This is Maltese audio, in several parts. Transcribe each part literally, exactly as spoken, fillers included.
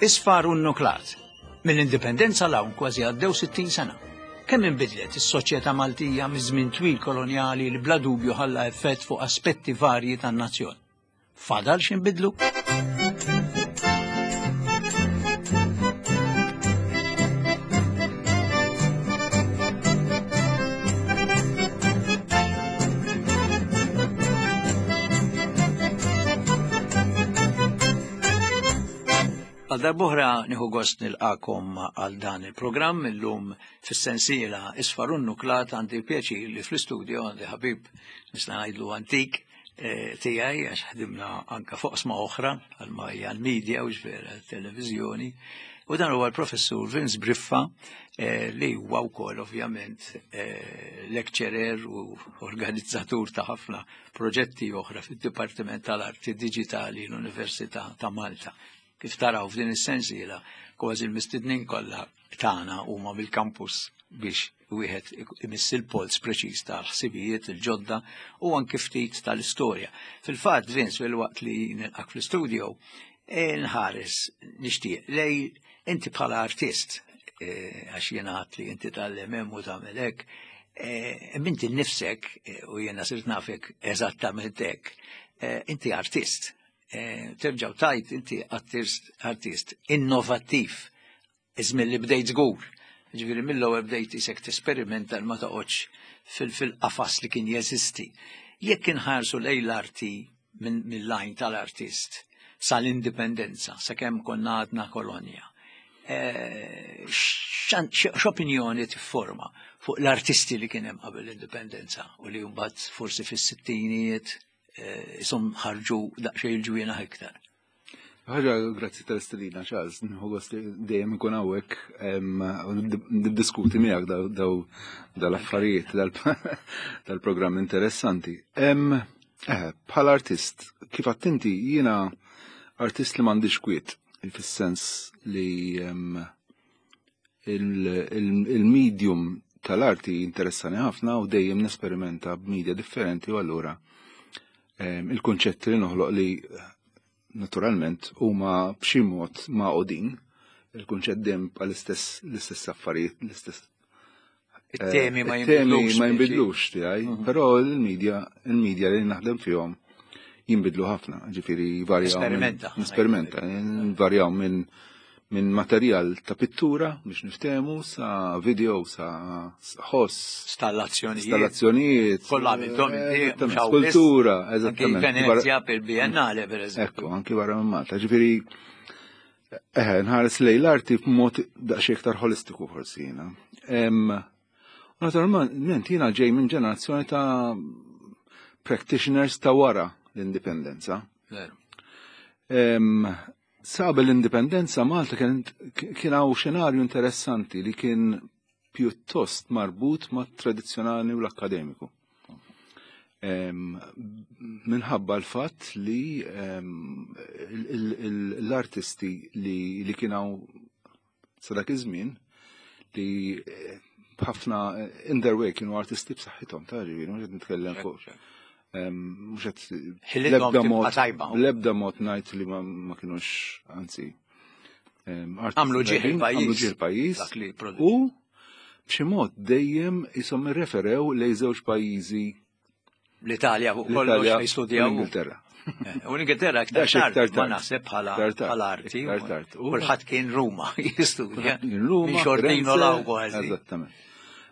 Isfar u nuklat. Mill-indipendenza 'l hawn kważi għaddew sittin sena. Kemm inbidlet is-soċjetà Maltija miż-żmien twil kolonjali li bla dubju ħalla effett fuq aspetti varji tan-nazzjon. Fadal x'inbidlu? Għal darb'oħra nieħu gost nilqakom għal dan il-programm illum fis-sensiela Isfar u Nuklat. Għandi pjaċir li fl-istudio għandi ħabib nista' ngħidlu antik eh, tiegħi, għax ħdimna anka fuq sma oħra għal hija l-media u ġvera televiżjoni. U dan huwa l-professur Vince Briffa, eh, li huwa wkoll ovvjament eh, lecturer u organizzatur ta' ħafna proġetti oħra fid-Dipartiment tal-Arti Diġitali l-Università ta' Malta. Kif taraw f'din is-sensiela, kważi l-mistednin kollha tagħna huma mill-campus biex wieħed imiss il-polz preċiż tal-ħsibijiet il-ġodda u anke ftit tal-istorja. Fil-fatt, Vince, fil-waqt li nilqak fl-istudio, nħares nixtieq lej inti bħala artist, għax jiena għedt li inti tgħallem u tagħmel hekk, inti nnifsek, u jiena sirt nafek eżattament hekk, inti artist. Terġaw tajt inti artist, artist innovattiv, iżmin li bdejt żgur. Ġifieri mill-ewwel bdejt isek tesperimenta ma toqgħodx fil-qafas li kien jeżisti. Jekk inħarsu lejn l-arti mill-lajn tal-artist sal-indipendenza, sakemm konna għadna kolonja, x'opinjoni tifforma fuq l-artisti li kien hemm qabel l-indipendenza u li mbagħad forsi fis-sittinijiet isum ħarġu daqsxejn il-ġwienaħ iktar? Ħaġa, grazzi tal-istedina, Charles, nieħu gost li dejjem ikun hawnhekk u niddiskuti miegħek daw dal-affarijiet, dal-programm interessanti. Bħala artist, kif attenti, jiena artist li m'għandix kwiet, fis-sens li il-medium tal-arti interessani ħafna u dejjem nesperimenta b'media differenti, u allura il-konċetti li noħloq li naturalment huma b'xi mod maqodin, il-kunċett dejjem bħal l-istess l-istess affarijiet, l-istess it-temi ma jinbidlux, ma jinbidlux tiegħi, però il-media il-media li naħdem fihom jinbidlu ħafna, ġifieri varjaw. Esperimenta. Esperimenta, varjaw minn minn materjal ta' pittura biex niftehmu sa video, sa ħoss, Installazzjonijiet. Installazzjonijiet. Kollha għamilthom inti, skultura, eżattament. Venezia per Biennale, per eżempju. Ekku, anki barra minn Malta. Ġifieri, eh, nħares lejn l-arti b'mod daqsxejn iktar holistiku forsi jiena. Naturalment jiena ġej minn ġenerazzjoni ta' practitioners ta' wara l-indipendenza. Sa qabel l-indipendenza Malta kien hawn xenarju interessanti li kien pjuttost marbut ma' tradizzjonali u l-akkademiku. Minħabba l-fatt li l-artisti li kien hawn sa dak iż-żmien li ħafna in their way kienu artisti b'saħħithom, ta' ġifieri, mhux qed nitkellem fuq. Mhux qed l-ebda mod l-ebda mod ngħid li ma kinux, anzi, għamlu ġieħ il-pajjiż. Għamlu ġieħ il-pajjiż. U b'xi mod dejjem ishom irreferew lejn żewġ pajjiżi, l-Italja fuq kollox jistudjaw. L-Ingilterra. U l-Ingilterra aktar tard, ma naħseb bħala arti. Kulħadd kien Ruma jistudja. Ruma, Xortino law kważi. Eżattament.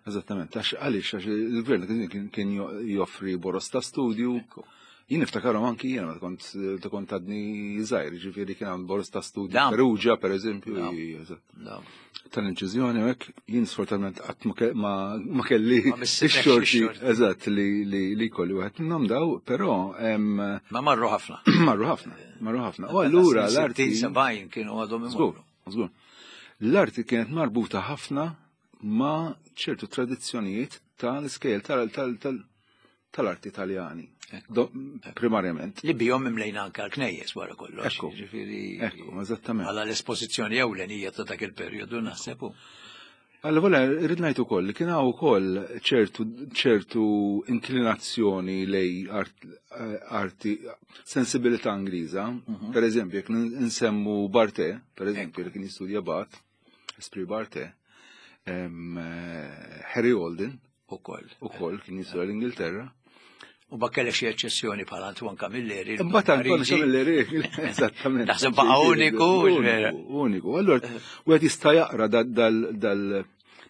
Eżattament, għax għaliex, għax il-gvern kien joffri boros ta' studju. Jien niftakarhom anki jiena meta kont meta kont għadni żgħir, ġifieri kien hawn boros ta' studju Perugia, per eżempju, tal-inċiżjoni u hekk, jien sfortunatament qatt ma kelli x-xorti, eżatt, li li kolli wieħed minnhom daw, però Ma marru ħafna. Marru ħafna, marru ħafna. U allura l-arti sebgħin kienu għadhom imorru. Żgur. L-arti kienet marbuta ħafna ma' ċertu tradizzjonijiet tal-iskejjel tal-arti Italjani, primarjament. Li bihom imlejna anke l-knejjes wara kollox. Ekku, ekku, eżattament. Għala l-espożizzjoni ewlenija ta' dak il-perjodu naħseb. Allora, rrid ngħid ukoll li kien hawn ukoll ċertu ċertu inklinazzjoni lejn art, arti sensibilità Ingliża. Mhm. Per eżempju, jekk nsemmu Barthe, per eżempju, li kien jistudja Bath, Esprit Barthe, em, eh, Harry Alden Ukoll. ukoll kien jistudja l-Ingilterra. U kellek xi eċċezzjoni bħal Antoine Camilleri. Imbagħad Antoine Parigi. Camilleri, eżattament. Naħseb baqa' uniku, vera. Uniku, uniku. Allora, wieħed jista' jaqra dal dal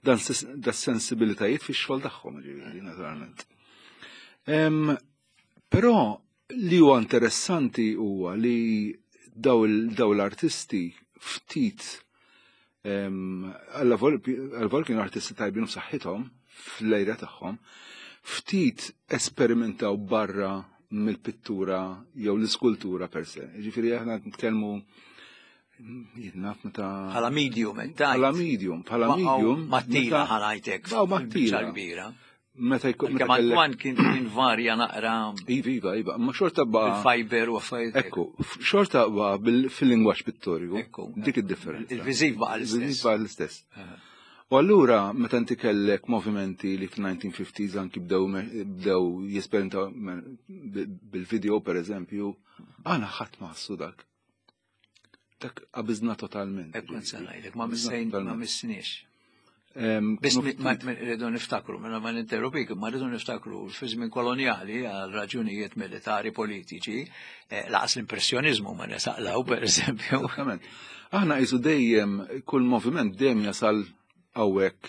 dan das-sensibilitajiet fix-xogħol tagħhom, ġifieri, naturalment. Em, Però li huwa interessanti huwa li daw il- daw l-artisti ftit għal kienu artisti tajbin u saħħithom fl-ejra tagħhom, ftit esperimentaw barra mill-pittura jew l-iskultura per se. Ġifieri aħna nitkellmu jien naf meta Bħala medium, dajt. bħala medium, bħala medium. Mattila meta- ħanajtek. Baw Mattila. kbira. Meta jkun meta Kemm kellek Antoine kien kien varja naqra Iva, iva, iva, ma xorta ba' bil-fiber u affarijiet. Ekku, xorta ba' bil- fil-lingwaġġ pittoriku. Ekku. Dik id-differenza. Il-viżiv baqa' Il-viżiv l-istess. baqa' l-istess. U allura, meta inti kellek movimenti li fil-nineteen fifties anki bdew me- bdew jesperimentaw me- bil-video, per eżempju, għana ħadd ma ħassu dak. Dak qabiżna totalment. Ekku nsa ngħidlek, ma Qabiżna missejn ma totalment. missniex. Em, Biss kienu ma ftit- ma- rridu niftakru, mela ma ninterrompik, ma rridu niftakru fi żmien koloniali għal raġunijiet militari politiċi, eh, laqas l-impressjonizmu ma nesaqlaw, per eżempju. Esattament. Aħna jisu dejjem, kull moviment dejjem jasal hawnhekk,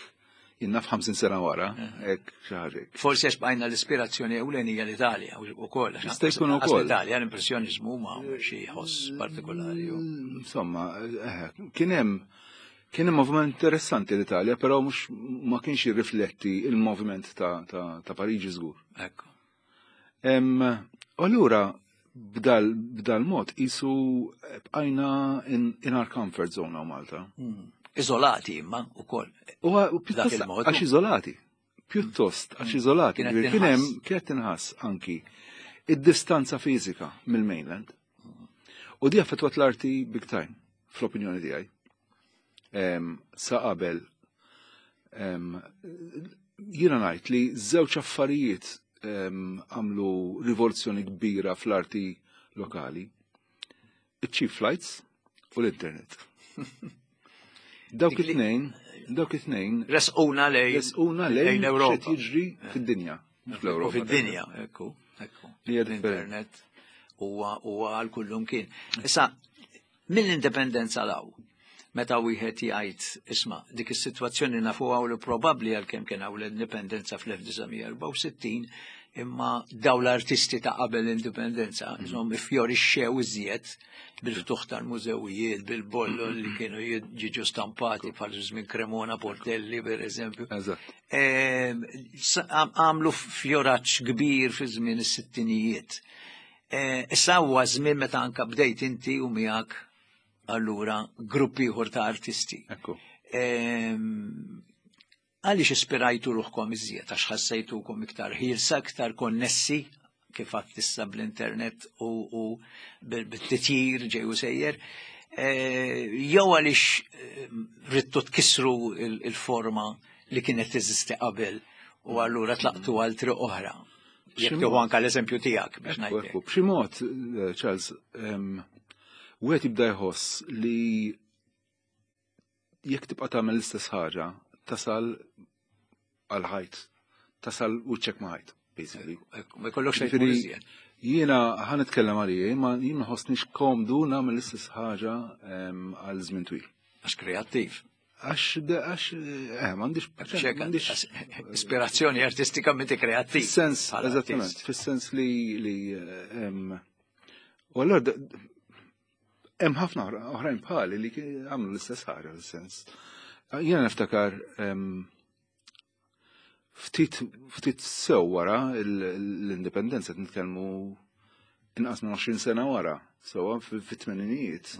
jien naf ħamsin sena wara, hekk xi ħaġa. Forsi għax bqajna l-ispirazzjoni ewlenija l-Italja u koll. Jista' jkun ukoll. L-Italja l-impressjonizmu ma xi ħoss partikolari. u- Insomma, eh, kien hemm kien hemm moviment interessanti l-Italja, però mhux ma kienx jirrifletti il-moviment ta', ta, ta' Pariġi żgur. Ekku. Em, U allura b'dal, b'dal mod isu bqajna in, in our comfort zone hawn Malta. Mm. Iżolati imma u koll. U u pjuttost il-mod. għax iżolati. Pjuttost għax iżolati. Kienet Kien hemm tinħass. kienet tinħass anki id-distanza fiżika mill-mainland. U di affettwat l-arti big time, fl-opinjoni tiegħi. Em, Sa qabel em, jiena ngħid li żewġ affarijiet em, għamlu rivoluzzjoni kbira fl-arti lokali. Iċ-cheap flights u l-internet. Dawk Dik li- it-tnejn, dawk it-tnejn Resquna lejn resquna lejn l-Ewropa. x'qed jiġri fid-dinja. Mhux U fl-Ewropa. fid-dinja, ekku, ekku. Li hija differenti. L-internet huwa huwa għal kullum kien. Issa, mill-indipendenza law, meta wieħed jgħid isma' dik is-sitwazzjoni nafuha u li probabbli għalkemm kien hawn l-indipendenza fl-elf disa' mija erbgħa u sittin, imma daw l-artisti ta' qabel l-indipendenza, insomma, ifjorixxew iżjed bil-ftuħ tal-mużewijiet, bil-bollo li kienu jiġu stampati bħal żmien Cremona, Portelli, per eżempju. Eżatt. Ehm, sa- għam- Għamlu fjoraċ kbir fi żmien is-sittinijiet. Eh, Issa huwa żmien meta anka bdejt inti u miegħek allura gruppi ieħor ta' artisti. Ekku. Ehm, Għaliex ispirajtu ruħkom iżjed, għax ħassejtukom iktar ħielsa, iktar konnessi, kif għadt issa bl-internet u, u bil- bit-titjir ġej u sejjer, Eh, jew għaliex eh, ridtu tkissru il- il-forma li kienet teżisti qabel u allura tlaqtu għal triq oħra. Jekk B'xi tieħu mod. anka l-eżempju tiegħek biex Ekku, ngħidlek. ekku. B'xi mod, eh, Charles, em, wieħed jibda jħoss li jekk tibqa' tagħmel l-istess ħaġa, tasal għal ħajt, tasal wiċċek ma' ħajt, basically. Ekku, ma jkollokx xejn Ġifieri, iżjed. jiena ħa nitkellem għalija, ma jien ma ħossnix komdu nagħmel l-istess ħaġa em, għal żmien twil. Għax kreattiv. Għax, għax, eh, m'għandix, Xek, m'għandix ispirazzjoni artistika minti kreattiv. Fis-sens, bħala eżattament, artist. fis-sens li li em, u allura d- hemm ħafna oħra- oħrajn bħali li kien- għamlu l-istess ħaġa fis-sens. Jiena niftakar em, ftit ftit sew wara l- l-indipendenza, qed nitkellmu inqas minn għoxrin sena wara, sewwa fit-tmeninijiet.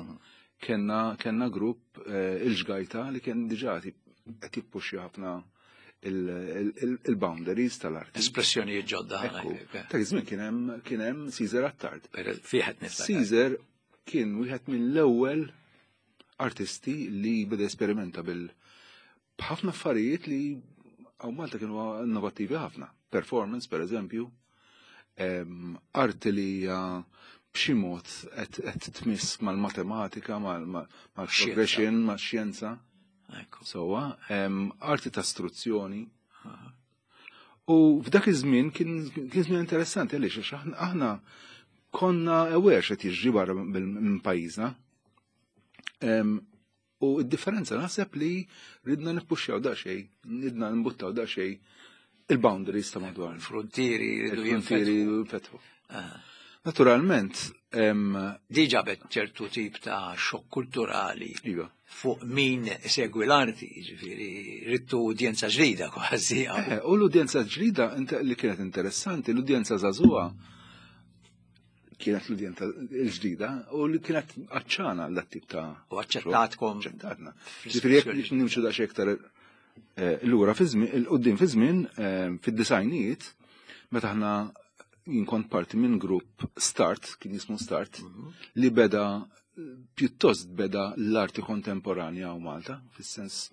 Kenna kenna grupp eh, il-ġgajta li kien diġà qed jippuxxi ħafna il-boundaries tal-arti. Espressjonijiet ġodda. Ekku, ta' żmien kien hemm kien hemm Caesar Attard. Fiħet niftakar. Caesar kien wieħed mill-ewwel artisti li beda esperimenta bil B'ħafna affarijiet li hawn Malta kienu innovattivi ħafna. Performance, per eżempju, em, arti li hija b'xi mod qed qed tmiss mal-matematika, mal-progression, max-xjenza. Ekku. Sewwa, em, arti ta' istruzzjoni. U f'dak iż-żmien kien kien żmien interessanti għaliex, għax aħna aħna konna aware x'qed jiġri barra minn pajjiżna. Em, U d-differenza naħseb li ridna nippuxxjaw daqsxejn, ridna nbuttaw daqsxejn il-boundaries ta' madwar. Il-frontieri rridu Il-frontieri jinfetħu. jinfetħu. Ah. Naturalment, em, Di ġabet ċertu tip ta' xokk kulturali iva. fuq min segwi l-arti, ġifieri, rittu udjenza ġdida kważi. Eh, u l-udjenza ġdida int- li kienet interessanti, l-udjenza żagħżugħa kienet l-udjenza l-ġdida u li kienet għatxana għal tip ta' U aċċettatkom. Aċċettatna. Ġifieri jekk nimxu daqsxejn iktar eh, lura fi żmien, il-qudiem fi żmien eh, fid-disgħinijiet, meta aħna jien kont parti minn grupp Start, kien jismu Start, li beda pjuttost beda l-arti kontemporanja u Malta, fis-sens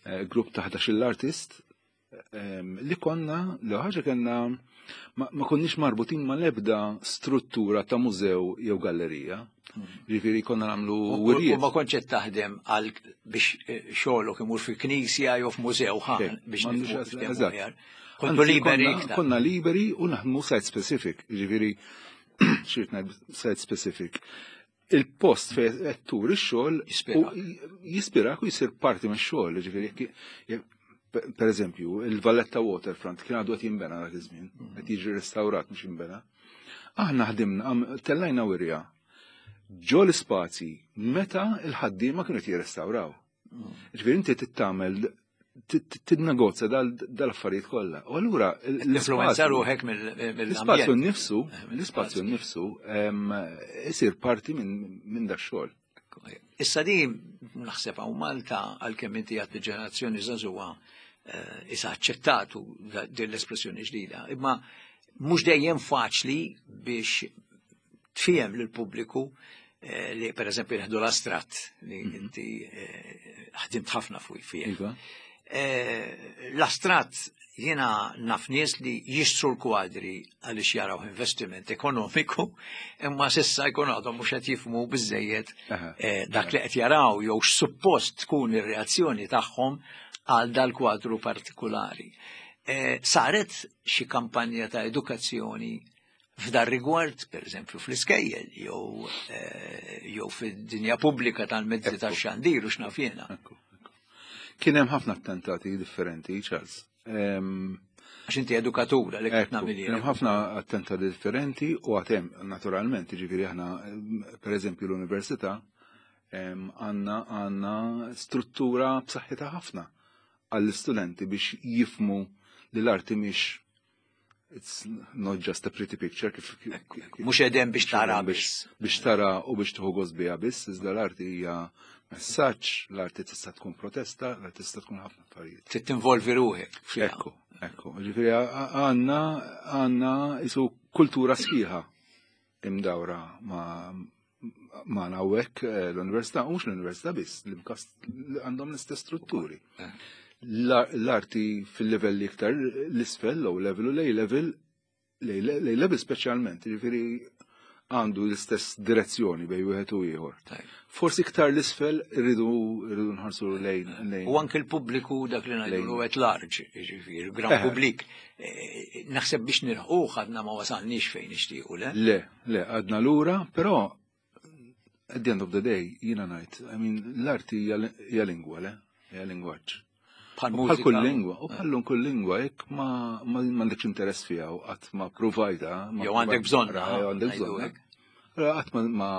eh, grupp ta' ħdax-il artist em, li konna, li ħaġa kellna ma, ma konniex marbutin ma lebda struttura ta' mużew jew gallerija. Ġifieri konna nagħmlu U wirjiet. u ma kontx qed taħdem għal biex eh, xogħolok imur fi knisja jew f'mużew ħan Xejn, biex m'għandux nifhmu għas- niftehmu eżatt. aħjar. Kontu Anzi, liberi konna- iktar. Konna liberi u naħdmu site specific, ġifieri xi rrid ngħid site specific. Il-post fejn qed turi x-xogħol Jispirak. u jispirak u jisir parti mix-xogħol, ġifieri jekk jekk- per per eżempju, il-Valletta Waterfront kien għadu qed jinbena dak iż-żmien, qed jiġi restawrat, mhux jinbena. Aħna ħdimna, għam- tellajna wirja ġo l-ispazji meta il-ħaddiema kienu qed jirrestawraw. Ġifieri inti tittamel tinnegozja dal-affarijiet kollha. U allura Influenza ruħek l-ispazju mill-ambjent. nnifsu, l-ispazju nnifsu em, isir parti minn minn dak xogħol. Issa di naħseb hawn Malta, għalkemm inti għat ġenerazzjoni żagħżugħa eh, issa aċċettatu da- din l-espressjoni ġdida, imma mhux dejjem faċli biex tfiehem lill-pubbliku eh, li per eżempju nieħdu l-astratt li inti eh, ħdimt ħafna fuq fih. Iva. Eh, L-astratt jiena naf nies li jixtru l-kwadri għaliex jaraw investiment ekonomiku, imma s'issa jkun għadhom mhux qed jifhmu biżejjed Aha. eh, dak li qed jaraw jew x'suppost tkun ir-reazzjoni tagħhom għal dal-kwadru partikolari. Eh, Saret xi kampanja ta' edukazzjoni f'dar rigward, per eżempju, fl-iskejjel, jew eh, jew fid-dinja pubblika tal-mezzi Ekku. tax-xandir u x'naf jiena? Ekku, ekku. Kien hemm ħafna attentati differenti, Charles. Em, Għax inti edukatura li qed Ekku, nagħmel kien jien. hemm ħafna attentati differenti u għatem, naturalment, ġifieri aħna, em, per eżempju, l-università, em, għandna għandna struttura b'saħħitha ħafna għall-istudenti biex jifhmu li l-arti mhix, it's not just a pretty picture kif kif- kif- Mhux edem biex tara biex biss. biex tara u biex tieħu gost biha biss, iżda l-arti hija messaġġ, l-arti tista' tkun protesta, l-arti tista' tkun ħafna affarijiet. Trid tinvolvi ruħek fiha. Ekku, ekku. Ġifieri għandna għandna isu kultura sħiħa imdawra ma ma hawnhekk eh, l-università, u mhux l-università biss, l-MCAST għandhom l-istess strutturi. L- L-arti fil-level iktar l-isfel, low level u A level, A level speċjalment, ġifieri għandu l-istess direzzjoni bejn wieħed u ieħor. Tajb. Forsi iktar l-isfel irridu irridu nħarsu lejn lejn. U anke l-pubbliku dak li ngħidulu at large, jiġifieri, gran Eh. publik. Eh, Naħseb biex nilħquh għadna ma wasalniex fejn nixtiequ, le? Le, le, għadna lura, però at the end of the day, jiena ngħid, I mean, l-arti hija hija lingwa, le? Hija lingwaġġ. Bħal U Bħal mużika. kull lingwa, u bħal kull lingwa, jekk ma ma m'għandekx interess fiha u qatt ma provajta. Ma Jew għandek bżonnha, taqra, jew għandek ngħidu bżonnha. hekk. Allora qatt ma ma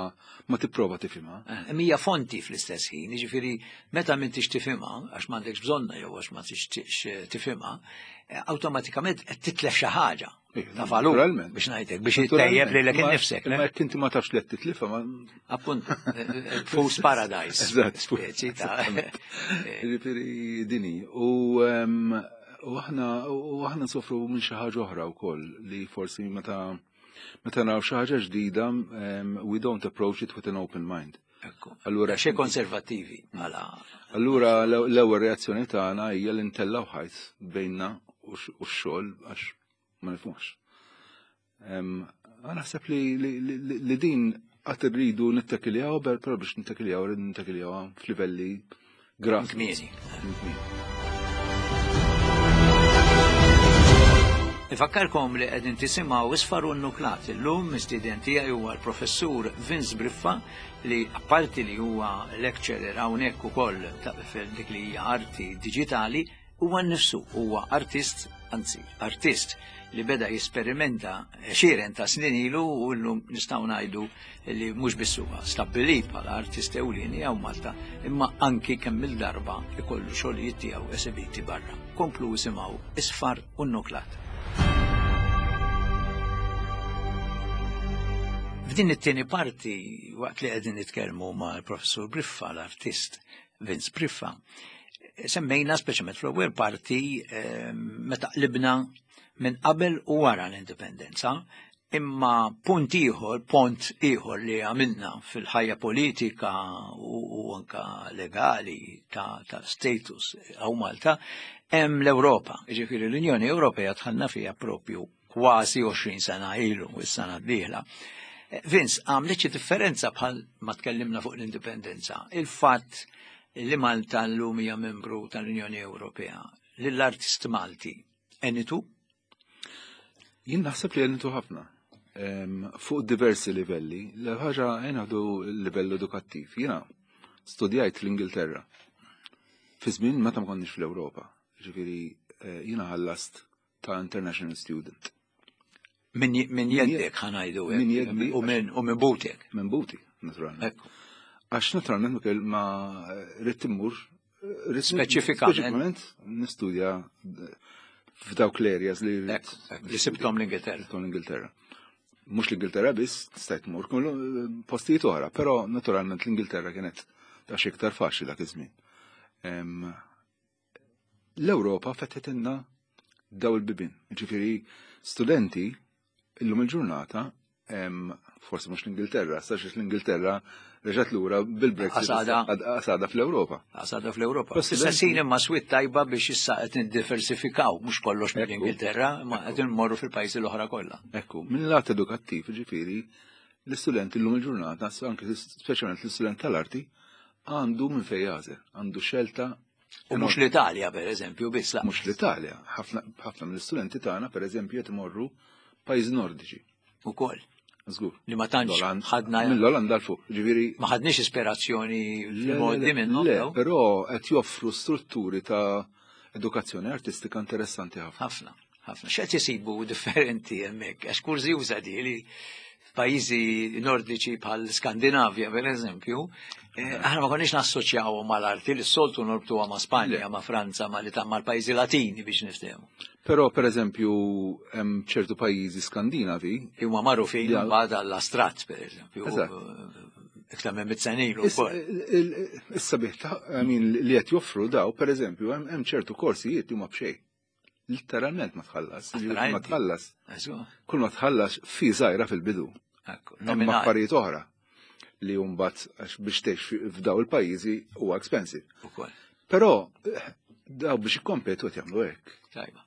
ma tipprova tifhimha. Eh, Mija fonti fl-istess ħin, jiġifieri meta m'intix tifhimha, għax m'għandekx bżonna jew għax ma tixtieqx eh, tifhimha, eh, awtomatikament qed titlef xi ħaġa Ija, ta' valur naturalment. biex ngħidlek biex ittejjeb lilek Ma- innifsek. le? Ma jekk inti ma tafx li qed titlifha ma Appunto, eh, eh, Fool's Paradise. Eżatt, Speċi ta' Ġifieri dini. U em, u aħna u aħna nsofru minn xi ħaġa oħra wkoll li forsi meta meta naraw xi ħaġa ġdida em, we don't approach it with an open mind. Allura xi konservattivi mela. Allura l-ewwel reazzjoni tagħna hija li ntellgħu ħajt bejnna u x-xogħol għax ma nifhmux. Naħseb li din għad irridu nittakiljaw, però biex nittakiljaw rridu nittakiljaw f'livelli grafi. Kmieni. Nifakkarkom li qegħdin tisimgħu Isfar u Nuklat. Illum mistieden tiegħi huwa l-Professur Vince Briffa li apparti li huwa lecturer hawnhekk ukoll fil dik li hija arti diġitali, huwa nnifsu huwa artist, anzi artist li beda jesperimenta għexieren ta' snin ilu u llum nistgħu ngħidu li mhux biss huwa stabbilit bħala artist ewlieni hawn Malta, imma anki kemm il-darba ikollu xogħlijiet tiegħu esibiti barra. Komplu isimgħu Isfar u Nuklat. F'din it-tieni parti, waqt li qegħdin nitkellmu mal-Professur Briffa, l-artist Vince Briffa, semmejna speċjalment fl-ewwel parti meta qlibna minn qabel u wara l-indipendenza, imma punt ieħor, pont ieħor li għamilna fil-ħajja politika u, u anka legali ta', ta status hawn Malta, hemm l-Ewropa. Jiġifieri l-Unjoni Ewropea dħalna fiha propju kważi għoxrin sena ilu, is-sena d-dieħla. Vince, għamlet xi differenza bħal ma tkellimna fuq l-indipendenza, il-fatt li Malta llum hija membru tal-Unjoni Ewropea, lill-artist Malti, enitu? Jien naħseb li għenitu ħafna. Fuq diversi livelli. L-ħaġa għenaħdu livell edukattiv. Jiena studjajt l-Ingilterra. Fi żmien meta ma konniex fl-Ewropa. Ġifieri jiena ħallast ta' international student. Min jeddek ħanajdu hekk. Min jeddi. U minn u minn butek. Minn buti, naturalment. Għax naturalment ma rrid immur speċifikament nistudja f'dawk l-areas li li sibtom l-Ingilterra. Sibtom l-Ingilterra. Mhux l-Ingilterra biss, stajt mur postijiet oħra, però naturalment l-Ingilterra kienet ta' iktar faċli dak iż-żmien. L-Ewropa fetħetilna daw il-bibien. Ġifieri studenti illum il-ġurnata, forsi mhux l-Ingilterra, sax l-Ingilterra reġgħet lura bil-Brexit għasada fl-Ewropa. Għasada fl-Ewropa. Issa sin imma swit tajba biex issa qed niddiversifikaw, mhux kollox mill-Ingilterra, ma qed immorru fil-pajjiżi l-oħra kollha. Ekku, minn lat edukattiv, ġifieri, l-istudent illum il-ġurnata, anke speċjalment l-istudent tal-arti, għandu minn fejn jagħżel, għandu xelta. U mhux l-Italja, per eżempju, biss. Mhux l-Italja. Ħafna mill-istudenti tagħna, per eżempju, qed imorru pajjiżi nordiċi. Ukoll. Żgur. Li ma tantx ħadna mill-Olanda l fuq, ġifieri. Ma ħadniex ispirazzjoni fil-modi minnhom. Le, però qed joffru strutturi ta' edukazzjoni artistika interessanti ħafna. Ħafna, ħafna. X'qed isibu differenti hemmhekk, għax kurżjuża di li f'pajjiżi nordiċi bħal Skandinavja, per eżempju, aħna ma konniex nassoċjawhom mal-arti li s-soltu norbtuha ma' Spanja, ma' Franza, ma' mal-pajjiżi Latini biex niftehmu. Però, per eżempju, hemm ċertu pajjiżi Skandinavi huma magħrufin mbagħad għall-astrat, per eżempju. Iktar minn mitt sena ilu wkoll. Is-sabiħ li qed joffru daw, per eżempju, hemm ċertu korsijiet li huma b'xejn. Literalment ma tħallas. Ma tħallas. Kull ma tħallas fi żgħira fil-bidu. Hemm affarijiet oħra li mbagħad biex tgħix f'daw il-pajjiżi huwa expensive. Ukoll. Però daw biex ikkompetu qed jagħmlu hekk. Tajba.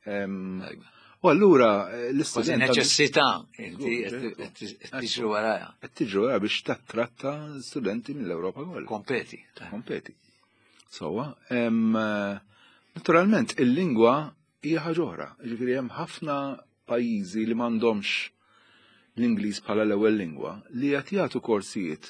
U allura l-istudent neċessità inti qed tiġru warajha. Qed tiġru warajha biex tattratta studenti mill-Ewropa kollha. Kompeti. Kompeti. Sowa, naturalment il-lingwa hija ħaġa oħra. Ġifieri hemm ħafna pajjiżi li m'għandhomx l-Ingliż bħala l-ewwel lingwa li qed jagħtu korsijiet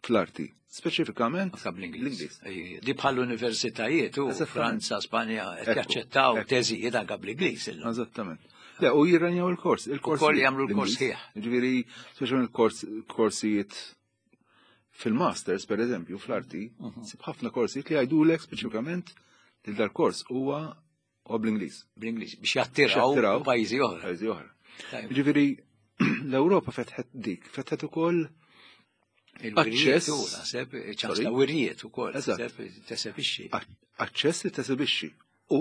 fl-arti, speċifikament bl-Ingliż. Di bħal universitajiet u Franza, Spanja qed jaċċettaw teżijiet anke bl-Ingliż illum. Eżattament. Le, u jirranjaw il-kors, il-kors. Ukoll jagħmlu l-kors ħieħ. Ġifieri, speċjalment il-korsijiet fil-masters, per eżempju, fl-arti, sib ħafna korsijiet li jgħidulek speċifikament li dal-kors huwa bl-Ingliż. Bl-Ingliż biex jattiraw pajjiżi oħra. Pajjiżi oħra. Ġifieri, l-Ewropa fetħet dik, fetħet ukoll aċċess naħseb ċans ta' wirjiet ukoll, tesebixxi. Aċċess li tesebixxi u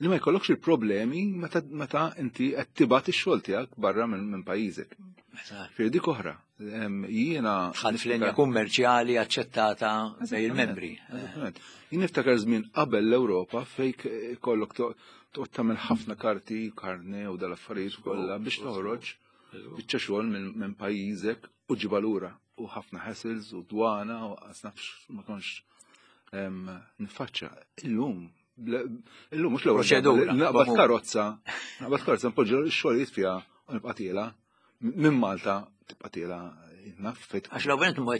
li ma jkollokx il-problemi meta inti qed tibgħat ix-xogħol tiegħek barra minn pajjiżek. Firdi dik oħra Jiena. Dħalt f'linja kummerċjali aċċettata bejn il-membri. Jien niftakar żmien qabel l-Ewropa fejn kollok toqgħod tagħmel ħafna karti, karne u dal-affarijiet kollha biex toħroġ biċċa xogħol minn pajjiżek u ġibha lura u ħafna hassles u dwana u nafx ma konx nifaċċa. Illum, illum mhux l-ewwel naqbad karozza, naqbad karozza npoġġu x-xogħlijiet fiha u nibqa' tiela' minn Malta tibqa' tiela' naf fejn. Għax l-ewwel ma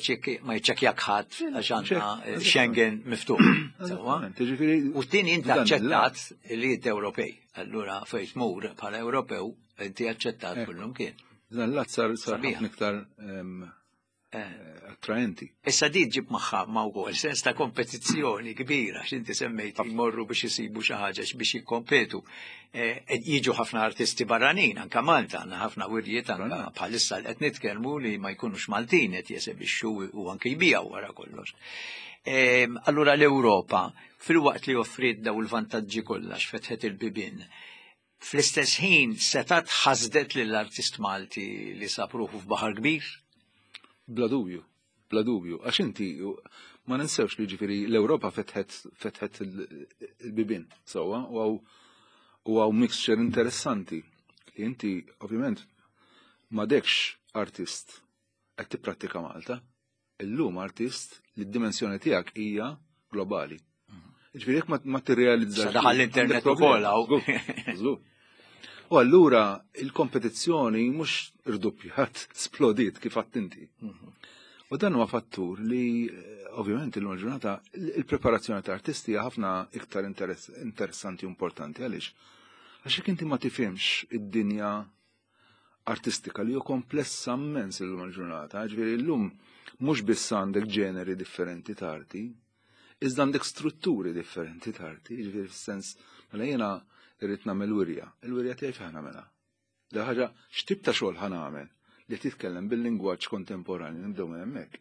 jċekkjak ħadd għax għandna Schengen miftuħ. U t-tieni inti aċċettat li inti Ewropej. Allura fejn tmur bħala Ewropew inti aċċettat kullum kien. Dan l sar sar ħafna iktar attraenti. Issa di ġib magħha ma wkoll sens ta' kompetizzjoni kbira x'inti semmejt jmorru biex isibu xi ħaġa biex jikkompetu. Jiġu ħafna artisti barranin, anka Malta għandna ħafna wirjiet anka bħalissa li qed nitkellmu li ma jkunux Maltin qed jesebixxu u anke jbijaw wara kollox. Allura l-Ewropa fil-waqt li offriet daw il-vantaġġi kollha x'fetħet il-bibien, fl-istess ħin setat ħasdet lill-artist Malti li sab ruħu f'baħar kbir? Bla dubju, bla dubju. Għax inti ma ninsewx li ġifieri l-Ewropa fetħet fetħet il-bibien sewwa u hawn u hawn mixture interessanti li inti ovvjament m'għadekx artist qed tipprattika Malta. Illum artist li d-dimensjoni tiegħek hija globali. Ġifieri jekk ma tirrealizzax. Daħal l-internet ukoll hawn. U allura il-kompetizzjoni mhux irdoppjat, splodiet kif għedt inti. U dan huwa fattur li ovvjament illum il-ġurnata il-preparazzjoni ta' artisti hija ħafna iktar interessanti u importanti għaliex. Għax jekk inti ma tifhimx id-dinja artistika li hu komplessa immens illum il-ġurnata, ġifieri llum mhux biss għandek ġeneri differenti ta' arti, iżda għandek strutturi differenti ta' arti, ġifieri fis-sens mela jiena irrid nagħmel wirja. Il-wirja tiegħi fejn nagħmilha? Da ħaġa x'tip ta' xogħol ħa nagħmel li titkellem bil-lingwaġġ kontemporanju nibdew minn hemmhekk.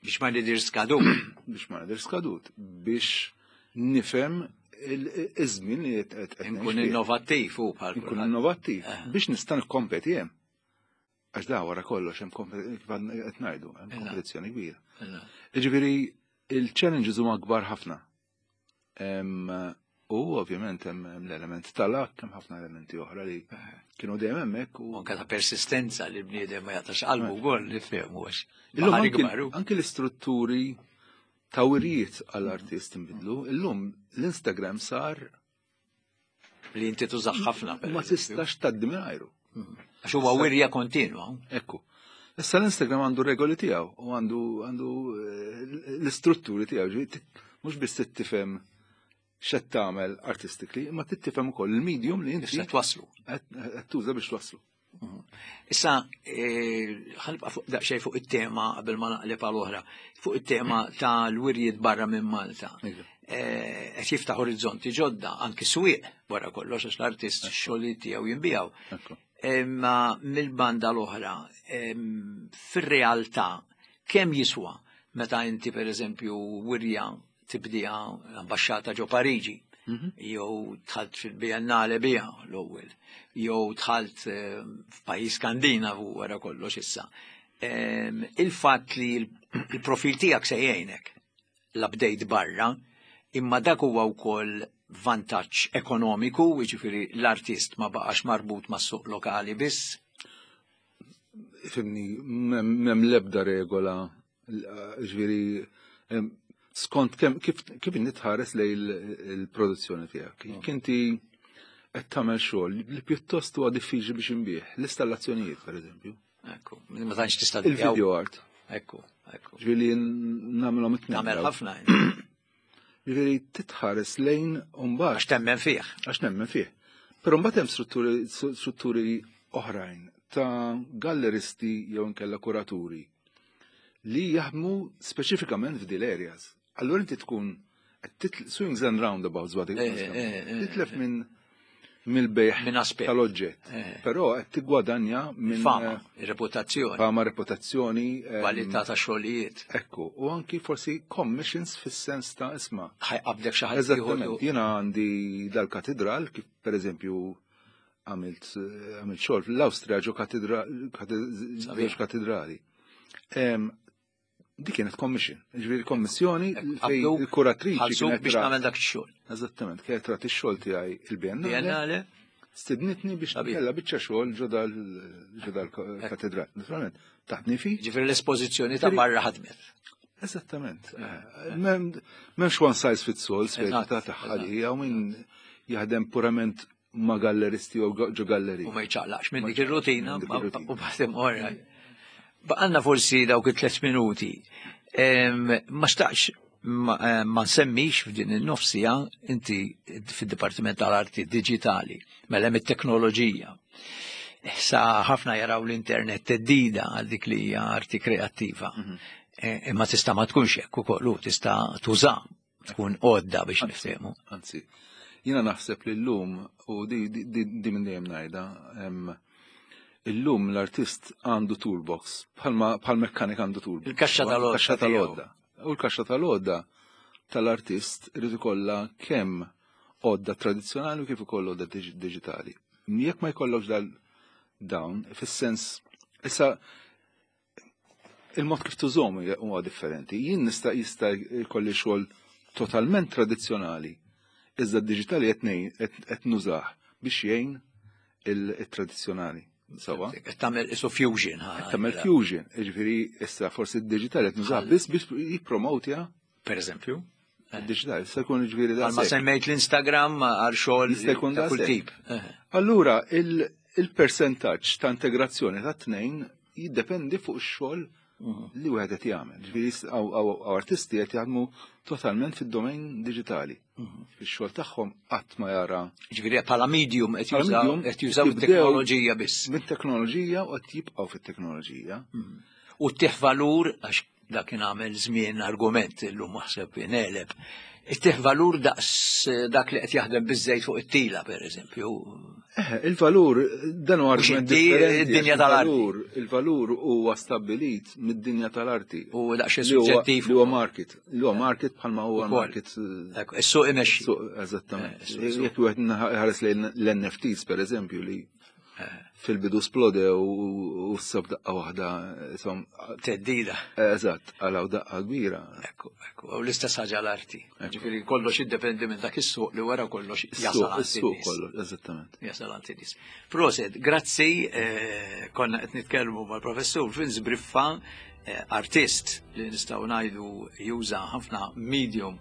Biex ma nidir skadut. Biex ma nidir skadut. Biex nifhem iż-żmien li qed Nkun innovattiv u bħal. Nkun innovattiv biex nista' nikkompeti hemm. Għax da wara kollox hemm kif qed ngħidu, hemm kompetizzjoni kbira. Jiġifieri il-challenges huma kbar ħafna. U ovvjament hemm l-element tal-luck, hemm ħafna elementi oħra li kienu dejjem hemmhekk u anke ta' persistenza li bniedem ma jaqtax qalbu wkoll nifhemu għax. Anke l-istrutturi ta' wirijiet għall-artist inbidlu, illum l-Instagram sar li inti tużax ħafna. Ma tistax tgħaddi mingħajru. Għax huwa wirja kontinwa. Ekku. Issa l-Instagram għandu regoli tiegħu u għandu għandu l-istrutturi tiegħu, mhux biss tifhem x'qed tagħmel artistically, imma tifhem ukoll il-medium li inti Issa twaslu. qed tuża biex twaslu. Issa ħa nibqa' fuq daqsxejn fuq it-tema qabel ma naqleb għal oħra, fuq it-tema tal-wirjiet barra minn Malta. Qed jiftaħ orizzonti ġodda anki swieq wara kollox għax l-artist x-xogħlijiet tiegħu jinbijaw. Imma mill-banda l-oħra, fir-realtà kemm jiswa meta inti pereżempju wirja tibdija l-ambaxxata ġo Pariġi, jew dħalt fil-Biennale bija l-ewwel, jew dħalt f'pajjiż Skandinavu wara kollox issa. Il-fatt li l-profil tiegħek se jgħinek l-update barra, imma dak huwa wkoll vantaġġ ekonomiku, jiġifieri l-artist ma baqax marbut mas-suq lokali biss. Fimni, m'hemm l-ebda regola, ġifieri skont kemm kif kif nitħares lejn il-produzzjoni tiegħek. Jekk inti qed tagħmel xogħol li pjuttost huwa diffiċli biex inbih, l-installazzjonijiet pereżempju. Ekku, ma tantx tista' Il-video art. Ekku, ekku. Ġifieri nagħmilhom it-tnejn. Nagħmel ħafna. Ġifieri titħares lejn mbagħad. Għax temmen fih. Għax nemmen fih. Però mbagħad hemm strutturi strutturi oħrajn ta' galleristi jew inkella kuraturi li jaħdmu speċifikament f'dil areas. Allura inti tkun swings and roundabouts bad titlef minn mill-bejħ Minn aspett. tal-oġġett. Però qed tiggwadanja minn Fama, reputazzjoni. Fama, reputazzjoni, Kwalità ta' xogħlijiet. Ekku, u anki forsi commissions fis-sens ta' isma'. Ħajqabdek xi ħadd Eżattament, jiena għandi dal-katedral kif pereżempju għamilt għamilt xogħol fl-Awstrija ġo żewġ katedrali. Dik kienet commission, ġifieri kommissjoni fejn il-kuratriċi kienet biex nagħmel dak ix-xogħol. Eżattament, kienet rat ix-xogħol tiegħi il-Biennale. Stidnitni biex nkella biċċa xogħol ġo dal-katedral. Naturalment, taħtni fi. Ġifieri l-espożizzjoni ta' barra ħadmet. Eżattament. M'hemmx one size fits all, speċi ta' taħħalija u min jaħdem purament ma' galleristi u ġo galleri. U ma jċaqlaqx minn dik ir-rutina u baħdem oraj. Baqanna forsi dawk it-tliet minuti. Ma xtaqx ma nsemmix f'din in-nofsija inti fid-Dipartiment tal-Arti Digitali, mela hemm it-teknoloġija. Sa ħafna jaraw l-internet teddida għal dik li hija arti kreattiva. Imma tista' ma tkunx hekk ukoll, tista' tuża, tkun għodda biex niftehmu. Anzi, jiena naħseb li llum u di minn dejjem ngħidha, illum l-artist għandu toolbox, bħal mekkanik għandu toolbox. Il-kaxxa tal-għodda. Il-kaxxa tal-għodda. U l-kaxxa tal-għodda tal-artist irid ikollha kemm għodda tradizzjonali u kif ukoll għodda diġitali. Jekk ma jkollokx dal dawn, fis-sens, issa il-mod kif tużhom huwa differenti. Jien nista' jista' jkolli xogħol totalment tradizzjonali, iżda d-diġitali qed nużah biex jgħin il-tradizzjonali. Sawa. Tagħmel isu fusion. Tagħmel fusion, jiġifieri issa forsi d-diġitali qed nużah biss biex jippromotja. Per eżempju. Id-diġitali issa jkun jiġifieri da. Ma semmejt l-Instagram għal xogħol ta' kull tip. Allura il-persentaġġ ta' integrazzjoni ta' tnejn jiddependi fuq ix-xogħol li wieħed qed jagħmel. Ġifieri hawn artisti qed jaħdmu totalment fid-domain diġitali. Fix-xogħol tagħhom qatt ma jara. Ġifieri bħala medium qed jużaw qed jużaw it-teknoloġija biss. Mit-teknoloġija u qed jibqgħu fit-teknoloġija. U ttieħ valur għax dak kien għamel żmien argument illum naħseb inqeleb. Ittieħ valur daqs dak li qed jaħdem biżejt fuq it-tila pereżempju. Il-valur dan huwa argument differenti. Id-dinja tal-arti. Il-valur huwa stabbilit mid-dinja tal-arti. U daqsxejn suġġettiv. Li huwa market. Li huwa market bħalma huwa market. Is-suq imexxi. Eżattament. Jekk wieħed ħares lejn l-N F Ts pereżempju li fil-bidu splodew u s-sab daqqa waħda insomma. Teddida. Eżatt, għalaw daqqa kbira. Ekku, ekku, u l-istess ħaġa l-arti. Ġifieri kollox jiddependi minn dak is-suq li wara kollox jasal għand is-suq kollox, eżattament. Jasal għand in-nies. Proset, grazzi, konna qed nitkellmu mal-professur Vince Briffa, artist li nistgħu ngħidu juża ħafna medium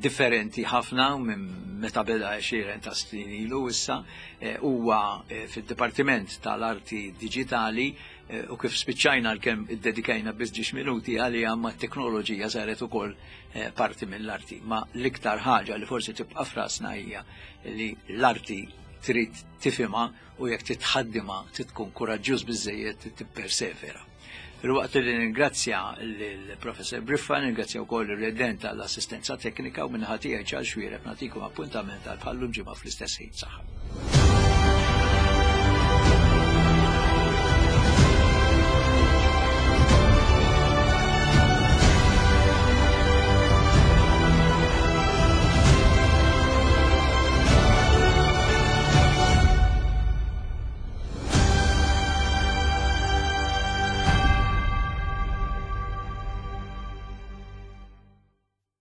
differenti ħafna minn meta beda għexieren ta' snin ilu issa, huwa fid-Dipartiment tal-Arti Diġitali u kif spiċċajna l-kemm iddedikajna biss ġiex minuti għalija ma t-teknoloġija saret ukoll parti mill-arti. Ma l-iktar ħaġa li forsi tibqa' frasna hija li l-arti trid tifhimha u jekk titħaddimha tkun kuraġġjuż biżejjed tippersevera. Fil-waqt li ningrazzja l-Professor Briffa, ningrazzja wkoll ir-redent għall-assistenza teknika u minħatija Charles Xuereb nagħtikom appuntament għal bħallum ġimgħa fl-istess ħin. Saħħa.